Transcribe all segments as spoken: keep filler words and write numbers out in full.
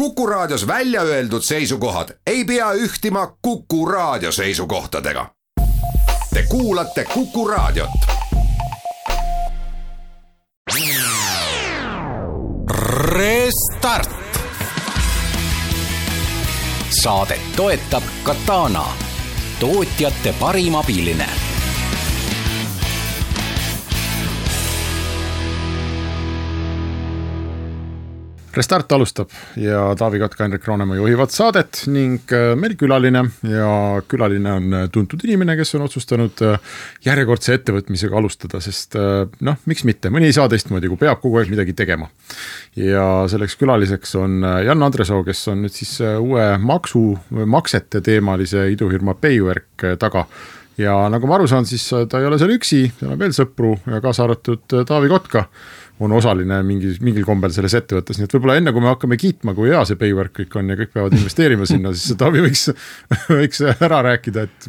Kuku Raadios välja öeldud seisukohad ei pea ühtima Kuku Raadio seisukohtadega. Te kuulate Kuku Raadiot. Restart. Saadet toetab Katana, tootjate parim abiline. Restart alustab ja Taavi Kotka, Henrik Roonemaa juhivad saadet ning meil külaline ja külaline on tuntud inimene, kes on otsustanud järjekordse ettevõtmisega alustada, sest noh, miks mitte, mõni ei saa teistmoodi, kui peab kogu aeg midagi tegema. Ja selleks külaliseks on Jan Andresoo, kes on nüüd siis uue maksu, maksete teemalise idufirma Paywork taga. Ja nagu ma aru saan, siis ta ei ole seal üksi, tal on veel sõpru ja kaasa arvatud Taavi Kotka on osaline mingi, mingil kombel selles ettevõttes. Nii et võib-olla enne, kui me hakkame kiitma, kui hea see Paywork kõik on ja kõik peavad investeerima sinna, siis Taavi võiks, võiks ära rääkida, et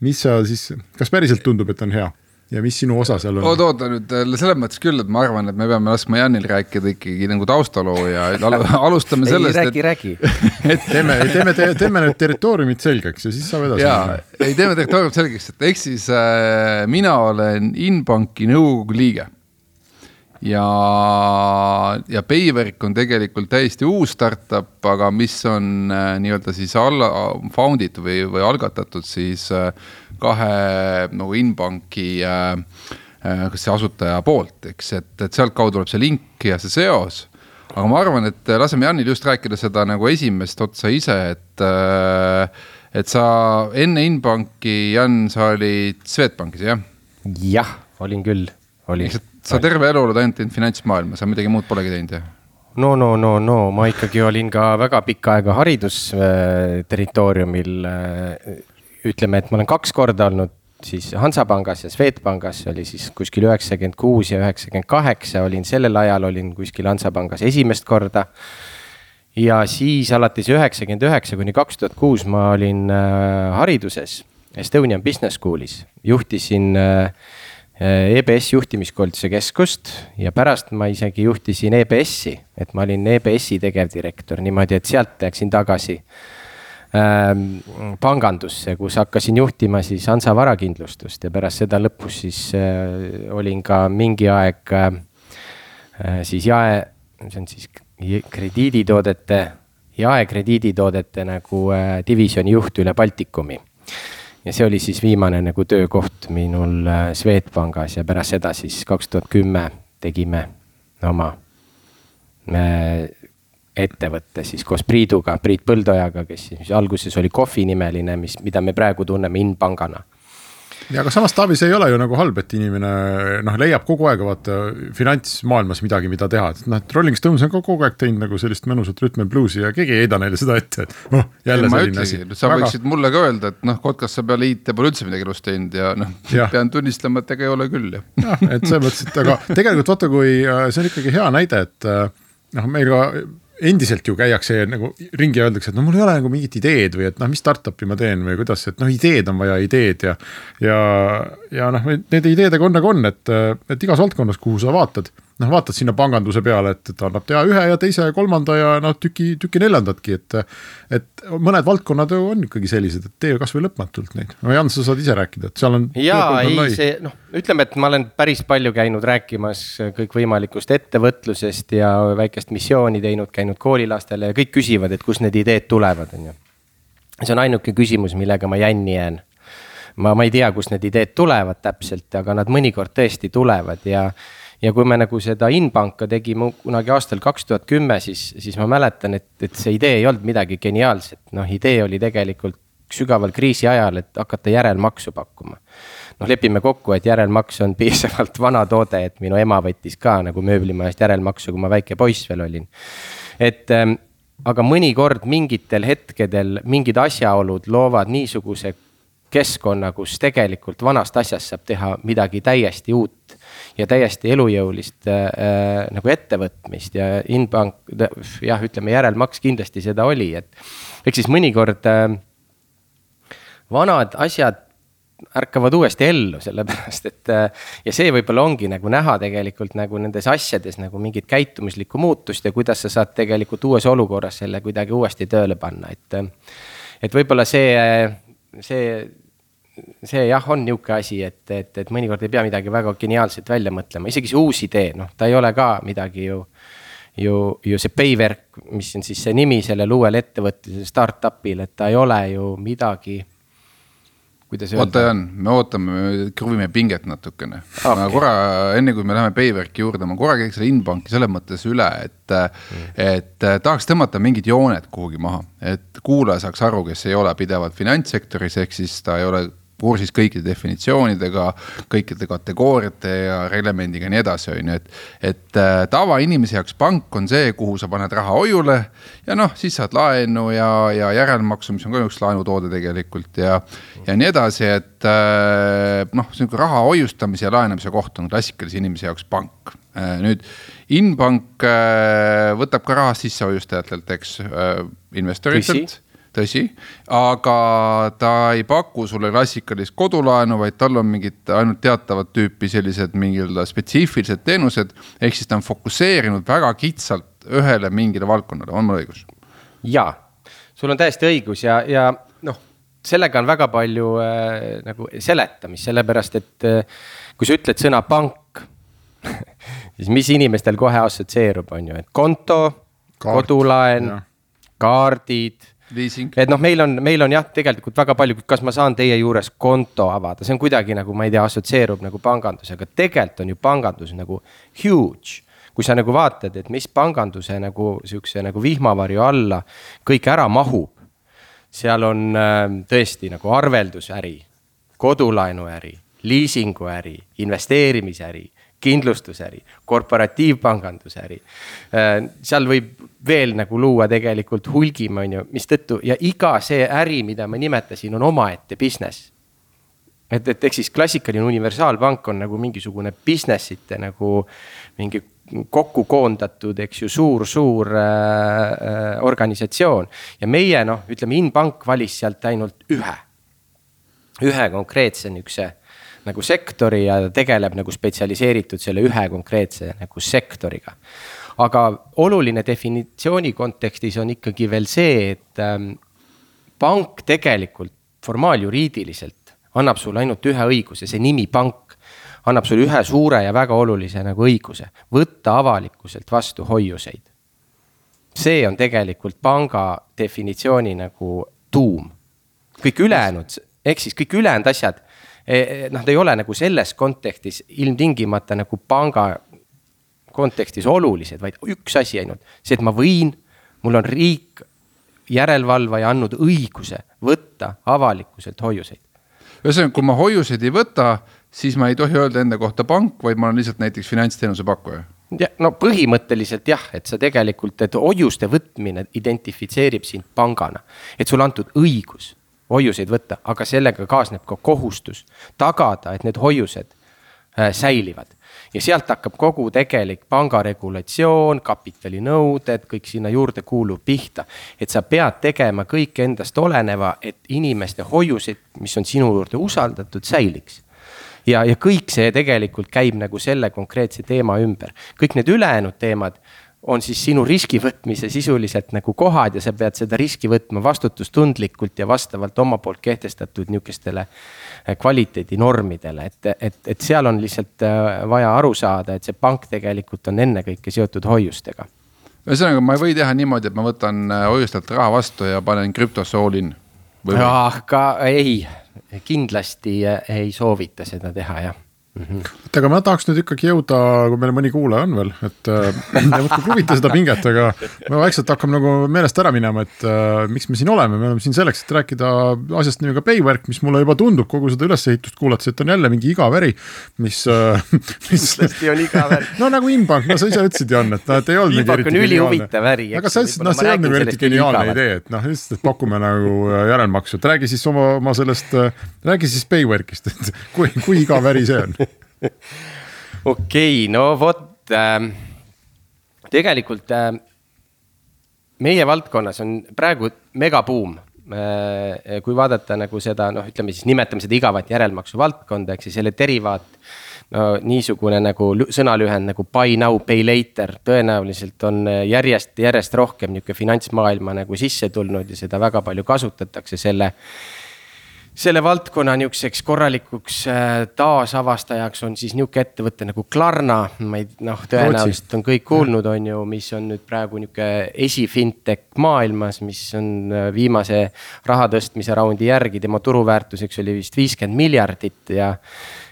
mis sa siis, kas päriselt tundub, et on hea ja mis sinu osa seal on? Oot, oota nüüd, selles mõttes küll, et ma arvan, et me peame laskma Janil rääkida ikkagi nagu taustaloo ja alustame sellest, ei, räägi, et... räägi. et teeme, teeme, teeme need territooriumid selgeks ja siis saab edasi. Jaa, ei teeme territooriumid selgeks, et eks siis äh, mina olen Inbanki nõukogu liige. Ja, ja Paywork on tegelikult täiesti uus startup, aga mis on äh, nii-öelda siis alla, founded või, või algatatud siis äh, kahe nagu Inbanki äh, äh, kas see asutaja poolt, eks, et, et sealt kaudu tuleb see link ja see seos. Aga ma arvan, et laseme Janil just rääkida seda nagu esimest otsa ise, et, äh, et sa enne Inbanki, Jan, sa olid Swedbankis, jah? Jah, olin küll. Olin. Sa terve elu oled ainult finantsmaailma, sa midagi muud polegi teinud, jah? No, no, no, no, ma ikkagi olin ka väga pikka aega haridusterritooriumil. Ütleme, et ma olen kaks korda olnud siis Hansapangas ja Swedbankas, oli siis kuskil üheksakümmend kuus ja üheksakümmend kaheksa, olin sellel ajal, olin kuskil Hansapangas esimest korda. Ja siis alates üheksakümmend üheksa kuni kaks tuhat kuus ma olin hariduses Estonian Business Schoolis, juhtisin E B S juhtimiskoolituse keskust ja pärast ma isegi juhtisin E B S-i, et ma olin E B S-i tegevdirektor niimoodi, et sealt läksin tagasi ähm, pangandusse, kus hakkasin juhtima siis Hansa varakindlustust ja pärast seda lõpus siis äh, olin ka mingi aeg äh, siis jae, see on siis krediiditoodete, jae krediiditoodete nagu äh, divisjoni juht üle Baltikumi. Ja see oli siis viimane nagu töökoht minul Swedbankas ja pärast seda siis kaks tuhat kümme tegime oma ettevõtte siis koos Priiduga, Priit Põldojaga, kes siis alguses oli Kohvi nimeline, mis, mida me praegu tunneme Inpangana. Ja aga samas Taavi, see ei ole ju nagu halb, et inimene noh, leiab kogu aeg vaata finantsmaailmas midagi, mida teha. Noh, Rolling Stones on kogu aeg teinud nagu sellist mõnusat rhythm and bluesi ja keegi ei heida neile seda ette, et noh, jälle selline asi. Sa Väga... võiksid mulle ka öelda, et noh, Kotkas sa peale I T pole üldse midagi elus teinud ja noh, ja. Pean tunnistama, et ega ei ole küll. Ja, et see mõttes, et aga tegelikult vaata, kui see on ikkagi hea näide, et noh, meil ka endiselt ju käiakse nagu ringi ja öeldakse, et no mul ei ole nagu mingit ideed või et noh, mis startupi ma teen või kuidas, et noh, ideed on vaja ideed ja, ja, ja noh, need ideedega on nagu on, et, et igas valdkonnas, kuhu sa vaatad, noh, vaatad sinna panganduse peale, et, et annab teha ühe ja teise ja kolmanda ja noh, tüki, tüki neljandatki, et, et mõned valdkonnad on ikkagi sellised, et tee kas või lõpmatult neid. No Jan, sa saad ise rääkida, et seal on... Jaa, ei, on see, noh, ütleme, et ma olen päris palju käinud rääkimas kõik võimalikust ettevõtlusest ja väikest missiooni teinud, käinud koolilastele ja kõik küsivad, et kus need ideed tulevad. On ju. See on ainuke küsimus, millega ma jänni jään. Ma, ma ei tea, kus need ideed tulevad täpselt, aga nad mõnikord tõesti tulevad ja Ja kui me nagu seda Inbanka tegime kunagi aastal kaks tuhat kümme, siis, siis ma mäletan, et, et see idee ei olnud midagi geniaalset. Noh, idee oli tegelikult sügaval kriisi ajal, et hakata järelmaksu pakkuma. Noh, lepime kokku, et järelmaks on piisavalt vana toode, et minu ema võttis ka nagu mööblimajast järelmaksu, kui ma väike poiss veel olin. Et, ähm, aga mõnikord mingitel hetkedel mingid asjaolud loovad niisuguse keskkonna, kus tegelikult vanast asjast saab teha midagi täiesti uut ja täiesti elujõulist äh, nagu ettevõtmist ja Inbank, jah, ütleme järelmaks kindlasti seda oli, et eks siis mõnikord äh, vanad asjad ärkavad uuesti ellu, sellepärast et ja see võib-olla ongi nagu näha tegelikult nagu nendes asjades nagu mingit käitumislikku muutust ja kuidas sa saad tegelikult uues olukorras selle kuidagi uuesti tööle panna, et et võib-olla see, see, see jah, on niuke asi, et, et, et mõnikord ei pea midagi väga geniaalselt välja mõtlema, isegi see uus idee, noh, ta ei ole ka midagi ju ju, ju see Paywerk, mis on siis see nimi sellel uuel ettevõtlisel startupil, et ta ei ole ju midagi. Oota Jan, me ootame, me kruvime pinget natukene. Okay. Ma korra, enne kui me läheme Paywerki juurde, ma korra käiks selle Inbanki selles mõttes üle, et, mm. et tahaks tõmmata mingid jooned kuhugi maha. Et kuulaja saaks aru, kes ei ole pidevalt finantssektoris, ehk siis ta ei ole kursis kõikide definitsioonidega, kõikide kategooriate ja reglemendiga nii edasi on. Et, et tava inimese jaoks pank on see, kuhu sa paned raha hoiule ja noh, siis saad laenu ja, ja järelmaksu, mis on ka üks laenutoode tegelikult ja, ja nii edasi, et noh, see on raha hoiustamise ja laenamise koht on klassikalise inimese jaoks pank. Nüüd Inbank võtab ka raha sisse hoiustajatelt, eks, investoritelt. Tõsi, aga ta ei paku sulle klassikalist kodulaenu, vaid tal on mingid ainult teatavad tüüpi sellised mingid spetsiifilised teenused, ehk siis ta on fokuseerinud väga kitsalt ühele mingile valdkonnale, on mul õigus? Jaa, sul on täiesti õigus ja, ja noh, sellega on väga palju äh, nagu seletamist, sellepärast et äh, kui sa ütled sõna pank, siis mis inimestel kohe assotsieerub on ju, et konto, Kaart, kodulaen, ja. kaardid, Leasing. Et noh, meil on, meil on jah, tegelikult väga palju, kas ma saan teie juures konto avada, see on kuidagi nagu, ma ei tea, assotsieerub nagu pangandusega, tegelikult on ju pangandus nagu huge, kui sa nagu vaatad, et mis panganduse nagu siukse nagu vihmavarju alla kõik ära mahub, seal on äh, tõesti nagu arveldusäri, kodulaenuäri, leasinguäri, investeerimisäri, kindlustusäri, korporatiivpangandusäri. Seal võib veel nagu luua tegelikult hulgim, on ju, mis tõttu, ja iga see äri, mida ma nimetasin, on omaette business. Et, et eks siis klassikaline universaalpank on nagu mingisugune businessite nagu mingi kokku koondatud, eks ju, suur, suur äh, organisatsioon. Ja meie, noh, ütleme, Inbank valis sealt ainult ühe, ühe konkreetse niukse nagu sektori ja tegeleb nagu spetsialiseeritud selle ühe konkreetse nagu sektoriga. Aga oluline definitsiooni kontekstis on ikkagi veel see, et ähm, pank tegelikult formaaljuriidiliselt annab sulle ainult ühe õiguse, see nimi pank annab sulle ühe suure ja väga olulise nagu õiguse, võtta avalikkuselt vastu hoiuseid. See on tegelikult panga definitsiooni nagu tuum. Kõik ülejäänud, ehk siis kõik ülejäänud asjad, noh, ta ei ole nagu selles kontekstis ilmtingimata nagu panga kontekstis olulised, vaid üks asi ainult. See, et ma võin, mul on riik järelevalvaja andnud õiguse võtta avalikkuselt hoiuseid. Ühesõnaga, kui ma hoiuseid ei võta, siis ma ei tohi öelda enda kohta pank, vaid ma olen lihtsalt näiteks finantsteenuse pakkuja. Ja, no põhimõtteliselt jah, et sa tegelikult, et hoiuste võtmine identifitseerib sind pangana, et sul antud õigus hoiuseid võtta, aga sellega kaasneb ka kohustus tagada, et need hoiused äh, säilivad. Ja sealt hakkab kogu tegelik pangaregulatsioon, kapitalinõuded, kõik sinna juurde kuulub pihta. Et sa pead tegema kõik endast oleneva, et inimeste hoiused, mis on sinu juurde usaldatud, säiliks. Ja, ja kõik see tegelikult käib nagu selle konkreetse teema ümber. Kõik need ülejäänud teemad on siis sinu riski võtmise sisuliselt nagu kohad ja sa pead seda riski võtma vastutustundlikult ja vastavalt oma poolt kehtestatud niukestele kvaliteedinormidele, et, et, et seal on lihtsalt vaja aru saada, et see pank tegelikult on enne kõike seotud hoiustega. Ühesõnaga, ma ei või teha niimoodi, et ma võtan hoiustelt raha vastu ja panen krüptosse all in. Aga ei, kindlasti ei soovita seda teha, jah. Mm-hmm. Et aga ma tahaks nüüd ikkagi jõuda, kui meil mõni kuulaja on veel, et ja võtku kruvita seda pinget, aga me vaikselt hakkame nagu meelest ära minema, et äh, miks me siin oleme, me oleme siin selleks, et rääkida asjast nimega Paywerk, mis mulle juba tundub kogu seda ülesehitust kuulates, et on jälle mingi igaväri, mis, äh, mis on igaväri. No nagu Inbank, no sa ise ütlesid, Jan, et et ei olnud Inbank on ülihuvitav väri. Aga sa ütlesid, no see on nagu eriti geniaalne idee, et noh, just, et pakume nagu järelmaksu, et räägi siis oma, oma sellest, räägi siis Paywerkist, et kui, kui igaväri see on. Okei, okay, no vot, äh, tegelikult äh, meie valdkonnas on praegu megabuum kui vaadata nagu seda, noh, ütleme siis nimetame seda igavat järelmaksu valdkonda, eks selle derivaat, no niisugune nagu sõnalühend nagu buy now, pay later, tõenäoliselt on järjest, järjest rohkem niisugune finantsmaailma nagu sisse tulnud ja seda väga palju kasutatakse selle Selle valdkonna niisuguseks korralikuks taasavastajaks on siis niisugune ettevõte nagu Klarna, ma ei, noh, tõenäoliselt on kõik kuulnud, on ju, mis on nüüd praegu niisugune esifintech maailmas, mis on viimase raha tõstmise raundi järgi, tema turuväärtuseks oli vist viiskümmend miljardit ja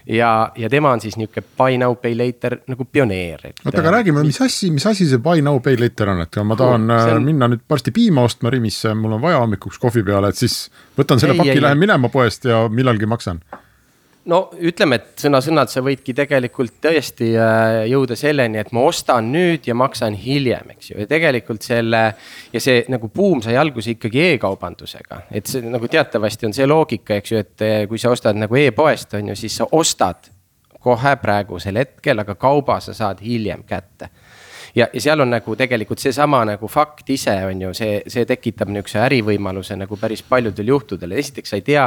ja, ja tema on siis niisugune buy now, pay later nagu pioneer. Oota, aga räägime, mis asi, mis asi see buy now, pay later on, et ma tahan on... minna nüüd varsti piima ostma Rimisse, mul on vaja hommikuks kohvi peale, et siis võtan selle ei, paki, lähen minema poest ja millalgi maksan. No ütleme, et sõna-sõnad sa võidki tegelikult tõesti jõuda selleni, et ma ostan nüüd ja maksan hiljem, eks ju. Ja tegelikult selle, ja see nagu buum sai alguse ikkagi e-kaubandusega. Et see nagu teatavasti on see loogika, eks ju, et kui sa ostad nagu e-poest, on ju, siis sa ostad kohe praegusel hetkel, aga kauba sa saad hiljem kätte. Ja, ja seal on nagu tegelikult see sama nagu fakt ise on ju, see, see tekitab niisuguse ärivõimaluse nagu päris paljudel juhtudel. Esiteks sa ei tea,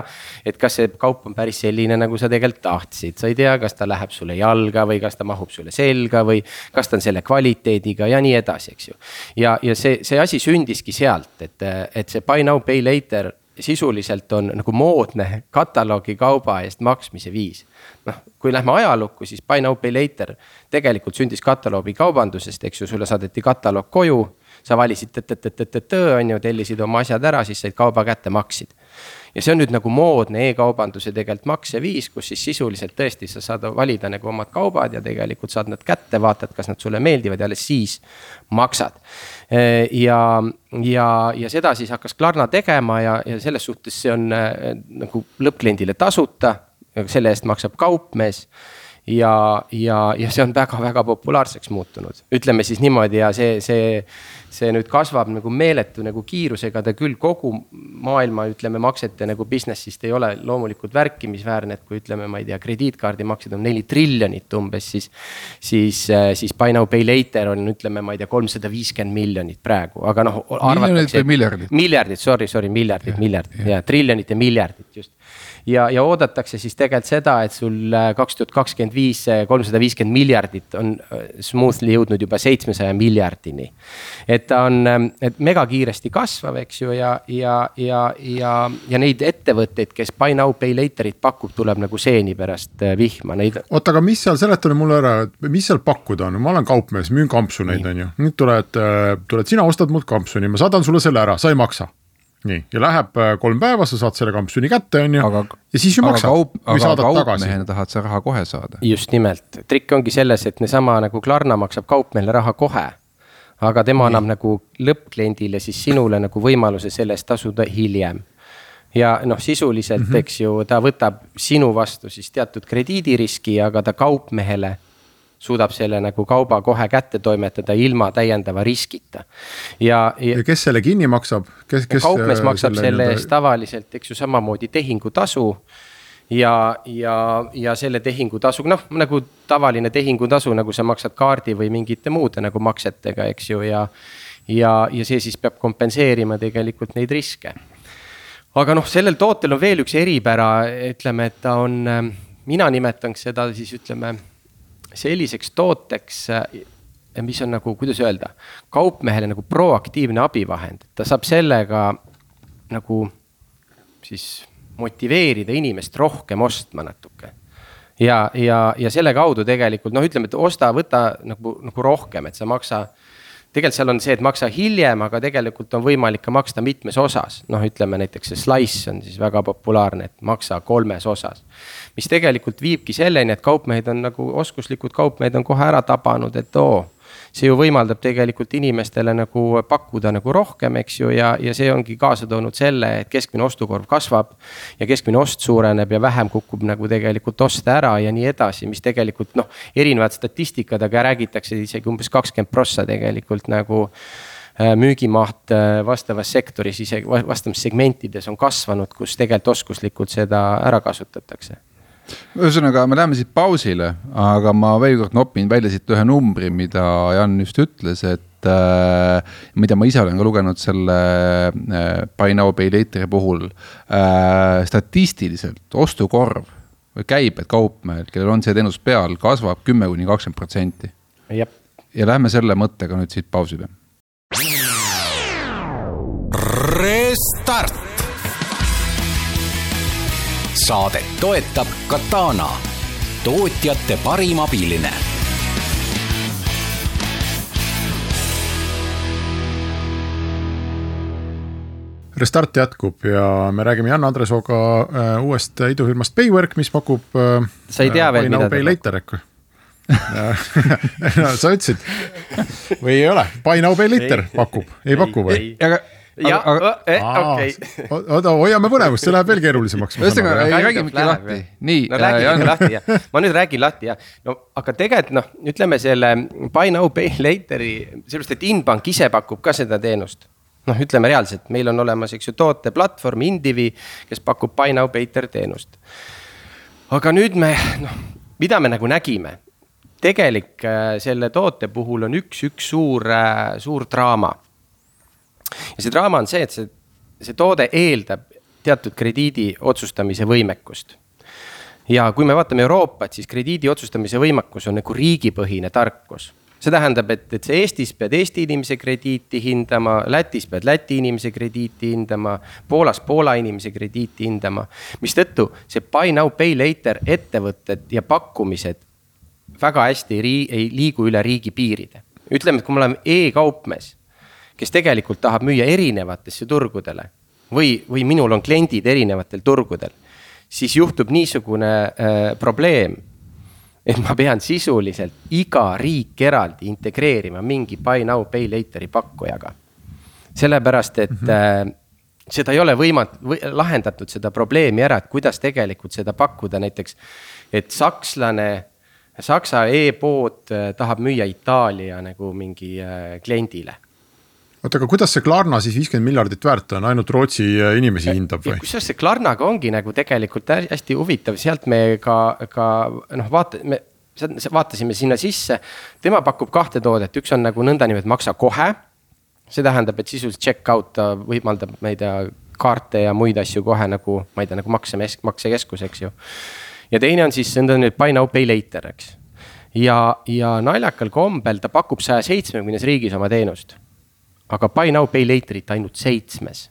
et kas see kaup on päris selline, nagu sa tegelikult tahtsid. Sa ei tea, kas ta läheb sulle jalga või kas ta mahub sulle selga või kas ta on selle kvaliteediga ja nii edasi, eks ju. Ja, ja see, see asi sündiski sealt, et, et see buy now, pay later sisuliselt on nagu moodne kataloogi kauba eest maksmise viis. Noh, kui lähme ajalukku, siis buy now, pay later tegelikult sündis kataloogi kaubandusest, eks ju, sulle saadeti kataloog koju, sa valisid tõtt-tõtt-tõtt-tõtt, on ju, tellisid oma asjad ära, siis said kauba kätte maksid. Ja see on nüüd nagu moodne e-kaubanduse tegelikult makseviis, kus siis sisuliselt tõesti sa saad valida nagu omad kaubad ja tegelikult saad nad kätte, vaatad, kas nad sulle meeldivad ja alles siis maksad. Ja, ja, ja seda siis hakkas Klarna tegema ja, ja selles suhtes see on nagu lõppkliendile tasuta, selle eest maksab kaupmees. Ja, ja, ja see on väga-väga populaarseks muutunud. Ütleme siis niimoodi ja see, see, see nüüd kasvab nagu meeletu nagu kiirusega, ta küll kogu maailma ütleme maksete nagu businessist ei ole loomulikult värkimisväärne, et kui ütleme, ma ei tea, krediitkaardi maksed on neli triljonit umbes, siis, siis, siis buy now, pay later on ütleme, ma ei tea, kolmsada viiskümmend miljonit praegu, aga noh, arvatakse. Miljardit, miljardit, sorry, sorry, miljardit, ja, miljardit, ja. Ja, triljonit ja miljardit just. Ja, ja oodatakse siis tegelikult seda, et sul kaks tuhat kakskümmend viis kolmsada viiskümmend miljardit on smoothly jõudnud juba seitsmesaja miljardini. Et ta on et mega kiiresti kasvav, eks ju, ja, ja, ja, ja, ja neid ettevõtteid, kes buy now, pay laterit pakub, tuleb nagu seeni pärast vihma. Neid... Oota, aga mis seal, seletame mulle ära, mis seal pakkuda on? Ma olen kaupmees, müün kampsu neid, on ju. Nüüd tuled, tuled, sina ostad mult kampsuni, ma saadan sulle selle ära, sa ei maksa. Nii, ja läheb kolm päeva, sa saad selle kampsuni kätte, on ju, aga, ja siis ju maksad. Kaup, aga kaupmehena tahad sa raha kohe saada. Just nimelt. Trikk ongi selles, et ne sama nagu Klarna maksab kaupmehele raha kohe, aga tema Nii. annab nagu lõppkliendile siis sinule nagu võimaluse sellest tasuda hiljem. Ja noh, sisuliselt, mm-hmm. eks ju, ta võtab sinu vastu siis teatud krediidiriski, aga ta kaupmehele suudab selle nagu kauba kohe kätte toimetada ilma täiendava riskita. Ja, ja, ja kes selle kinni maksab? Kes, kes kaupmees maksab selle, selle eest tavaliselt, eks ju, samamoodi tehingutasu ja, ja, ja selle tehingutasu, noh, nagu tavaline tehingutasu, nagu sa maksad kaardi või mingite muude nagu maksetega, eks ju, ja, ja, ja see siis peab kompenseerima tegelikult neid riske. Aga noh, sellel tootel on veel üks eripära, ütleme, et ta on, mina nimetaks seda siis, ütleme, selliseks tooteks, mis on nagu, kuidas öelda, kaupmehele nagu proaktiivne abivahend. Ta saab sellega nagu siis motiveerida inimest rohkem ostma natuke. Ja, ja, ja selle kaudu tegelikult, noh ütleme, et osta, võta nagu, nagu rohkem, et sa maksa, tegelikult seal on see, et maksa hiljem, aga tegelikult on võimalik ka maksta mitmes osas. Noh, ütleme näiteks see slice on siis väga populaarne, et maksa kolmes osas. Mis tegelikult viibki selleni, et kaupmehed on nagu oskuslikud kaupmehed on kohe ära tabanud, et oo, see ju võimaldab tegelikult inimestele nagu pakkuda nagu rohkem, eks ju, ja, ja see ongi kaasa toonud selle, et keskmine ostukorv kasvab ja keskmine ost suureneb ja vähem kukub nagu tegelikult osta ära ja nii edasi, mis tegelikult noh, erinevad statistikad, aga räägitakse isegi umbes kakskümmend prossa tegelikult nagu müügimaht vastavas sektoris, isegi vastavas segmentides on kasvanud, kus tegelikult oskuslikult seda ära kasutatakse. Ühesõnaga, me läheme siit pausile, aga ma veel kord nopin välja siit ühe numbri, mida Jan just ütles, et mida ma ise olen ka lugenud selle Buy Now Pay Later'i puhul, statistiliselt ostukorv või käibed kaupmehel, kellel on see teenus peal, kasvab kümme kuni kakskümmend protsenti. Jep. Ja lähme selle mõttega nüüd siit pausile. Restart. Saadet toetab Katana, tootjate parim abiline. Restart jätkub ja me räägime Jan Andresooga äh, uuest idufirmast Paywork, mis pakub äh, sa ei tea veel, mida ta pakub. No, sa ütlesid või ei ole, Buy Now Pay Later pakub, ei paku või? Aga ja, okei. Oota, hoiame põnevust, see läheb veel keerulisemaks. Ühesõnaga, räägime ikka lahti. Nii, no räägime ikka lahti, jah. Ma nüüd räägin lahti, jah. No, aga tegelikult, noh, ütleme selle Buy Now Pay Lateri, sellepärast, et Inbank ise pakub ka seda teenust. Noh, ütleme reaalselt, meil on olemas, eks ju, toote platvorm Indivi, kes pakub Buy Now Pay Later teenust. Aga nüüd me, noh, mida me nagu nägime? Tegelik selle toote puhul on üks, üks suur, suur draama. Ja see draama on see, et see, see toode eeldab teatud krediidi otsustamise võimekust. Ja kui me vaatame Euroopat, siis krediidi otsustamise võimekus on nagu riigipõhine tarkus. See tähendab, et, et see Eestis pead Eesti inimese krediiti hindama, Lätis pead Läti inimese krediiti hindama, Poolas Poola inimese krediiti hindama, mis tõttu see Buy Now Pay Later ettevõtted ja pakkumised väga hästi ei liigu üle riigi piiride. Ütleme, et kui me oleme e-kaupmees, kes tegelikult tahab müüa erinevatesse turgudele või, või minul on kliendid erinevatel turgudel, siis juhtub niisugune äh, probleem, et ma pean sisuliselt iga riik eraldi integreerima mingi Buy Now Pay Lateri pakkujaga. Sellepärast, et mm-hmm. äh, seda ei ole võimat, või, lahendatud seda probleemi ära, et kuidas tegelikult seda pakkuda näiteks, et sakslane Saksa e-pood tahab müüa Itaalia nagu mingi kliendile. Oota, aga kuidas see Klarna siis viiskümmend miljardit väärt on, ainult Rootsi inimesi hindab või? Kus see Klarnaga ongi nagu tegelikult hästi huvitav, sealt me ka, ka noh, vaata, me vaatasime sinna sisse, tema pakub kahte toodet, üks on nagu nõnda nimed maksa kohe, see tähendab, et sisuliselt check-out võimaldab meid kaarte ja muid asju kohe nagu, ma ei tea, nagu makse, maksekeskus, eks ju. Ja teine on siis enda nüüd Buy Now Pay Later, eks. Ja, ja naljakal kombel ta pakub saja seitsmekümnes riigis oma teenust. Aga Buy Now Pay Laterit ainult seitsmes.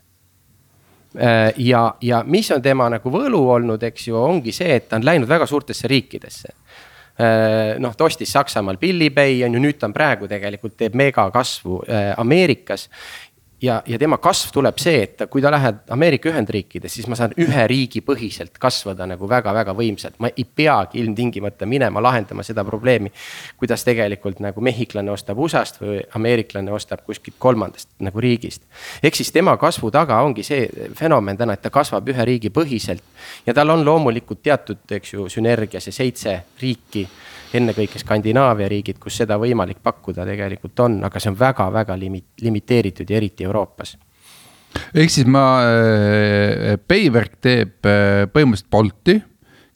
Ja, ja mis on tema nagu võlu olnud, eks ju, ongi see, et ta on läinud väga suurtesse riikidesse. Noh, ta ostis Saksamaal Billipay, on ju nüüd ta on praegu tegelikult teeb mega kasvu Ameerikas. Ja, ja tema kasv tuleb see, et kui ta lähed Ameerika Ühendriikides, siis ma saan ühe riigi põhiselt kasvada nagu väga-väga võimsalt. Ma ei peagi ilmtingimata minema lahendama seda probleemi, kuidas tegelikult nagu mehhiklane ostab U S A-st või ameeriklane ostab kuskilt kolmandast nagu riigist. Ehk siis tema kasvu taga ongi see fenomen täna, et ta kasvab ühe riigi põhiselt ja tal on loomulikult teatud, eks ju, sünergia, see seitse riiki, enne kõike Skandinaavia riigid, kus seda võimalik pakkuda tegelikult on, aga see on väga-väga limiteeritud ja eriti Euroopas. Ehk siis ma, Paywork teeb põhimõtteliselt Bolti,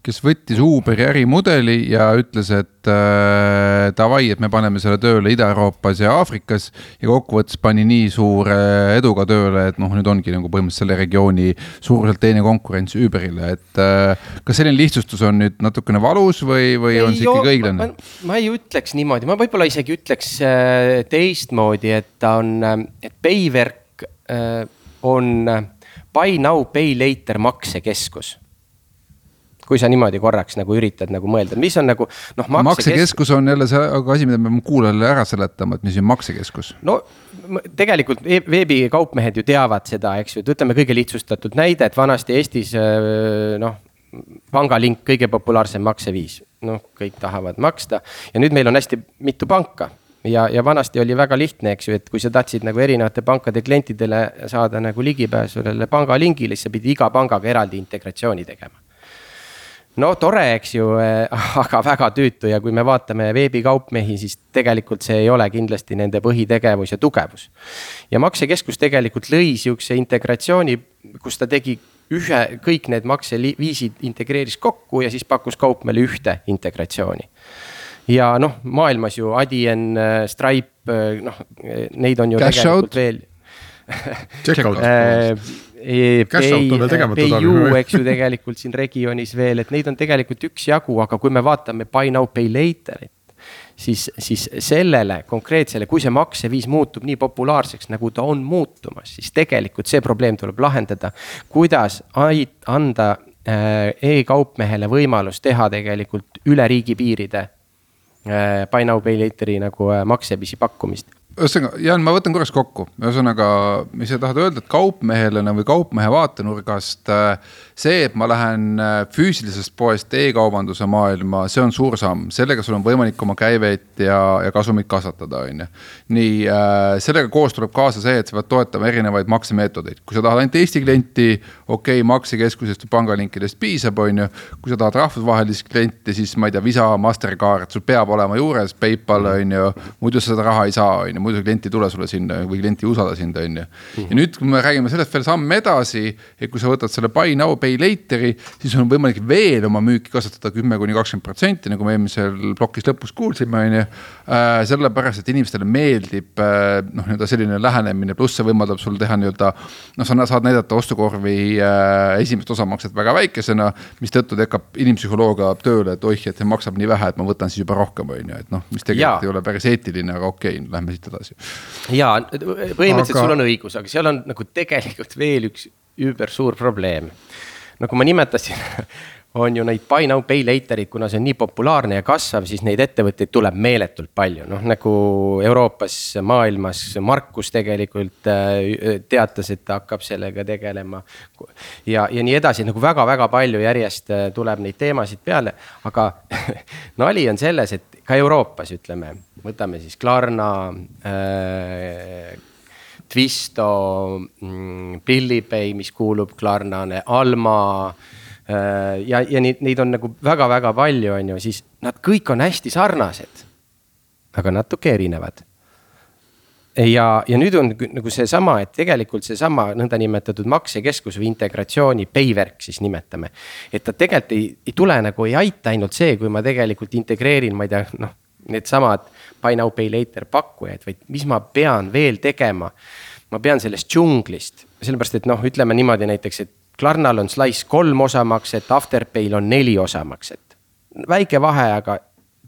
kes võttis Uberi ärimudeli ja ütles, et äh, davai, et me paneme selle tööle Ida-Euroopas ja Aafrikas ja kokkuvõttes pani nii suure eduga tööle, et noh, nüüd ongi nagu põhimõtteliselt selle regiooni suuruselt teine konkurents Uberile, et äh, kas selline lihtsustus on nüüd natukene valus või, või on see ikkagi õiglane? Ma, ma ei ütleks niimoodi, ma võib-olla isegi ütleks äh, teistmoodi, et ta on, et Paywork äh, on Buy Now Pay Later maksekeskus. Kui sa niimoodi korraks nagu üritad nagu mõelda, mis on nagu noh, maksekeskus on jälle see asi, mida me kuulajale ära seletama, et mis on maksekeskus. No tegelikult veebikaupmehed ju teavad seda, eks ju, et ütleme kõige lihtsustatud näide, et vanasti Eestis noh, pangalink kõige populaarsem makseviis, noh, kõik tahavad maksta ja nüüd meil on hästi mitu panka ja, ja vanasti oli väga lihtne, eks ju, et kui sa tahtsid nagu erinevate pankade klientidele saada nagu ligipääsulele pangalingile, siis sa pidi iga pangaga eraldi integratsiooni tegema. No tore, eks ju, aga väga tüütu ja kui me vaatame veebikaupmehi, siis tegelikult see ei ole kindlasti nende põhitegevus ja tugevus. Ja maksekeskus tegelikult lõi siukse integratsiooni, kus ta tegi ühe, kõik need makseviisid integreeris kokku ja siis pakkus kaupmeele ühte integratsiooni. Ja noh, maailmas ju Adyen, Stripe, noh, neid on ju Cash tegelikult out. veel. Check-out. Cash out on veel tegemata. P U, eks ju tegelikult siin regioonis veel, et neid on tegelikult üks jagu, aga kui me vaatame Buy Now Pay Laterit, siis, siis sellele konkreetsele, kui see makseviis muutub nii populaarseks, nagu ta on muutumas, siis tegelikult see probleem tuleb lahendada, kuidas anda e-kaupmehele võimalus teha tegelikult üle riigipiiride Buy Now Pay Lateri nagu maksevisi pakkumist. Ühesõnaga, Jaan, ma võtan korras kokku. Ühesõnaga, mis sa tahad öelda, et kaupmehelena või kaupmehe vaatenurgast see, et ma lähen füüsilisest poest e-kaubanduse maailma, see on suur samm. Sellega sul on võimalik oma käiveid ja, ja kasumit kasvatada. On. Nii, sellega koos tuleb kaasa see, et sa pead toetama erinevaid maksemeetodeid. Kui sa tahad ainult Eesti klienti, okei, okay, maksekeskusest või pangalinkidest piisab, on ju. Kui sa tahad rahvusvahelist klienti, siis ma ei tea, Visa, Mastercard, sul peab olema juures, PayPal, on ju, muidu sa seda raha ei saa, on ju. Muidu klienti tule sulle sinna või klienti usada sinda, on ju. Ja nüüd, kui me räägime sellest veel samm edasi, et kui sa võtad selle Buy Now Pay Lateri, siis on võimalik veel oma müüki kasvatada kümme kuni kakskümmend protsenti, nagu me eelmisel plokis lõpus kuulsime, on ju. Sellepärast, et inimestele meeldib noh, nii-öelda selline lähenemine, pluss see võimaldab sul teha nii-öelda, noh, sa saad näidata ostukorvi esimest osamakset väga väikesena, mis tõttu tekkab inimpsühholoogia tööle, et oih, et see maksab nii vähe, et ma võtan siis juba rohkem, on ju, et noh, mis tegelikult ja. Ei ole päris eetiline, aga okei, okay, lähme siit edasi. Jaa, põhimõtteliselt aga... sul on õigus, aga seal on nagu tegelikult veel üks üüber suur probleem. Nagu ma nimetasin, on ju neid Buy Now Pay Laterid, kuna see on nii populaarne ja kasvav, siis neid ettevõtteid tuleb meeletult palju. Noh, nagu Euroopas, maailmas Markus tegelikult teatas, et ta hakkab sellega tegelema ja, ja nii edasi, nagu väga-väga palju järjest tuleb neid teemasid peale, aga nali on selles, et ka Euroopas, ütleme, võtame siis Klarna, äh, Twisto, Pillipay, mis kuulub Klarnane, Alma äh, ja, ja neid, neid on nagu väga-väga palju, on ju, siis nad kõik on hästi sarnased, aga natuke erinevad. Ja, ja nüüd on nagu see sama, et tegelikult see sama nõnda nimetatud maksekeskus või integratsiooni payverk siis nimetame. Et ta tegelikult ei, ei tule nagu ei aita ainult see, kui ma tegelikult integreerin, ma ei tea, noh, need samad Buy Now Pay Later pakkujaid, vaid mis ma pean veel tegema. Ma pean sellest džunglist, sellepärast, et noh, ütleme niimoodi näiteks, et Klarnal on Slice kolm osamakset, Afterpayl on neli osamakset. Väike vahe, aga